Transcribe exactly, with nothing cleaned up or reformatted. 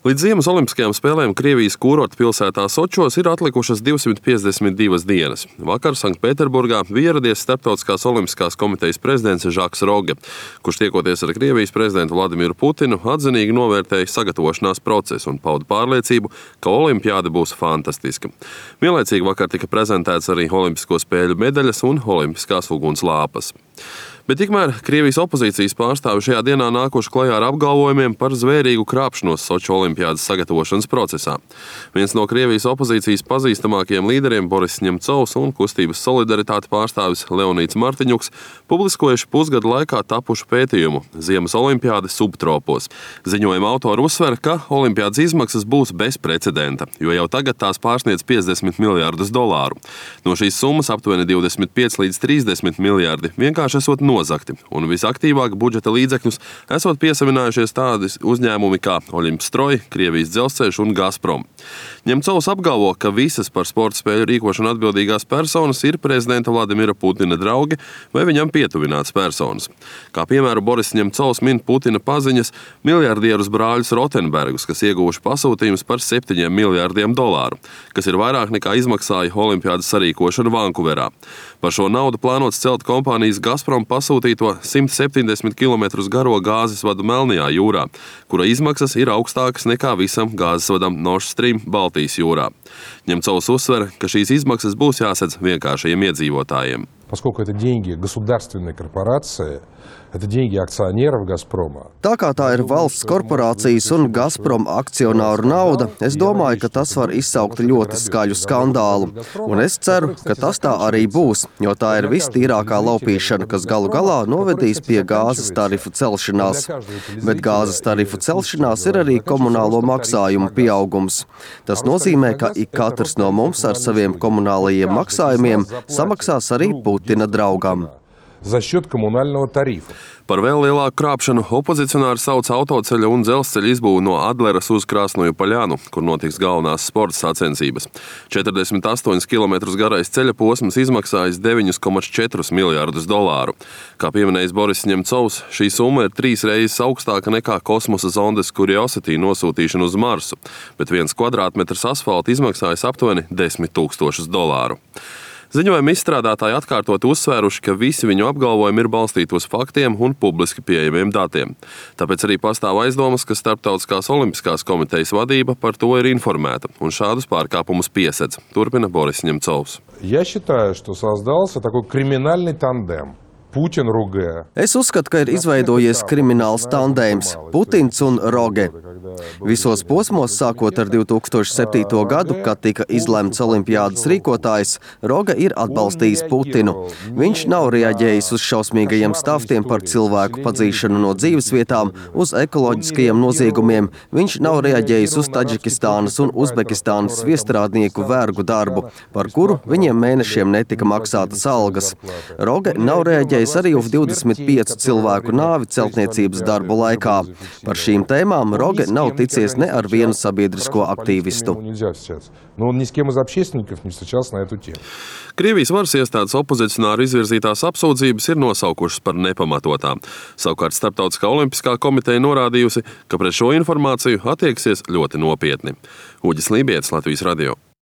Līdz ziemas olimpiskajām spēlēm Krievijas kūrorta pilsētā Sočos ir atlikušas divsimt piecdesmit divas dienas. Vakar Sanktpēterburgā bija ieradies Starptautiskās olimpiskās komitejas prezidents Žaks Roge, kurš tiekoties ar Krievijas prezidentu Vladimiru Putinu atzinīgi novērtēja sagatavošanās procesu un pauda pārliecību, ka olimpiāde būs fantastiska. Vienlaicīgi vakar tika prezentēts arī olimpisko spēļu medaļas un olimpiskās uguns lāpas. Bet tikmēr Krievijas opozīcijas pārstāvi šajā dienā nākuši klajā ar apgalvojumiem par zvērīgu krāpšanos Soču olimpiādes sagatavošanas procesā. Viens no Krievijas opozīcijas pazīstamākajiem līderiem Boris Ņemcovs un kustības solidaritāte pārstāvis Leonīds Martiņuks publiskojuši pusgada laikā tapušu pētījumu Ziemas olimpiāde subtropos. Ziņojuma autori uzsver, ka olimpiādes izmaksas būs bez precedenta, jo jau tagad tās pārsniedz piecdesmit miljārdus dolāru. No šīs summas aptuveni divdesmit pieci līdz trīsdesmit miljārdi vienkārši esot nozakti, un visaktīvāk budžeta līdzekļus esot piesavinājušies tādi uzņēmumi kā Oļimpstroj, Krievijas dzelzceļš un Gazprom. Ņemcovs apgalvo, ka visas par sporta spēļu rīkošanu atbildīgās personas ir prezidenta Vladimira Putina draugi vai viņam pietuvināts personas. Kā piemēru Boris Ņemcovs min Putina paziņas miljardierus brāļus Rotenbergus, kas ieguvuši pasūtījumus par septiņiem miljārdiem dolāru, kas ir vairāk nekā izmaksāja olimpiādes sarīkošanu Vankuverā. Par šo naudu plānots celt kompānijas Gazprom pasūtīto simt septiņdesmit kilometrus garo gāzes vadu Melnajā jūrā, kura izmaksas ir augstākas nekā visam gāzes vadam Nord Stream Baltijas jūrā. Ņemcovs uzsver, ka šīs izmaksas būs jāsedz vienkāršajiem iedzīvotājiem. Поскольку это деньги государственной корпорации, это деньги акционеров «Газпрома». Tā kā tā ir valsts korporācijas un Gazprom akcionāru nauda, es domāju, ka tas var izsaukt ļoti skaļu skandālu. Un es ceru, ka tas tā arī būs, jo tā ir vistīrākā laupīšana, kas galu galā novedīs pie gāzes tarifu celšanās. Bet gāzes tarifu celšanās ir arī komunālo maksājumu pieaugums. Tas nozīmē, ka ik katrs no mums ar saviem komunālajiem maksājumiem samaksās arī Putina draugam. За счет коммунального тарифа. Par vēl lielāku krāpšanu opozicionāri sauc autoceļa un dzelzceļa izbūvi no Adleras uz Krasnoju Poļanu, kur notiks galvenās sporta sacensības. četrdesmit astoņus kilometrus garais ceļa posms izmaksājis deviņus komats četrus miljārdus dolāru. Kā pieminējis Boris Ņemcovs, šī summa ir trīs reizes augstāka nekā kosmosa zondes Curiosity nosūtīšana uz Marsu, bet viens kvadrātmetrs asfalta izmaksājis aptuveni desmit tūkstošus dolāru. Ziņojuma izstrādātāji atkārtot uzsvēruši, ka visi viņu apgalvojumi ir balstīti uz faktiem un publiski pieejamiem datiem. Tāpēc arī pastāv aizdomas, ka Starptautiskās olimpiskās komitejas vadība par to ir informēta un šādus pārkāpumus piesedz, turpina Boris Ņemcovs. Я считаю, что создался такой криминальный тандем. Putin, Roge. Es uzskatu, ka ir izveidojies krimināls tandēms – Putins un Roge. Visos posmos, sākot ar divi tūkstoši septīto gadu, kad tika izlemts olimpiādas rīkotājs, Roge ir atbalstījis Putinu. Viņš nav reaģējis uz šausmīgajiem stāstiem par cilvēku padzīšanu no dzīvesvietām, uz ekoloģiskajiem noziegumiem. Viņš nav reaģējis uz Taģikistānas un Uzbekistānas viestrādnieku vergu darbu, par kuru viņiem mēnešiem netika maksātas algas. Roge nav reaģējis arī uz divdesmit piecu cilvēku nāvi celtniecības darbu laikā. Par šīm tēmām Roge nav ticies ne ar vienu sabiedrisko aktīvistu. Krievijas varas iestādes opozicionāru izvirzītās apsūdzības ir nosaukušas par nepamatotām. Savukārt Starptautiskā olimpiskā komiteja norādījusi, ka pret šo informāciju attieksies ļoti nopietni. Uģis Lībietis, Latvijas radio.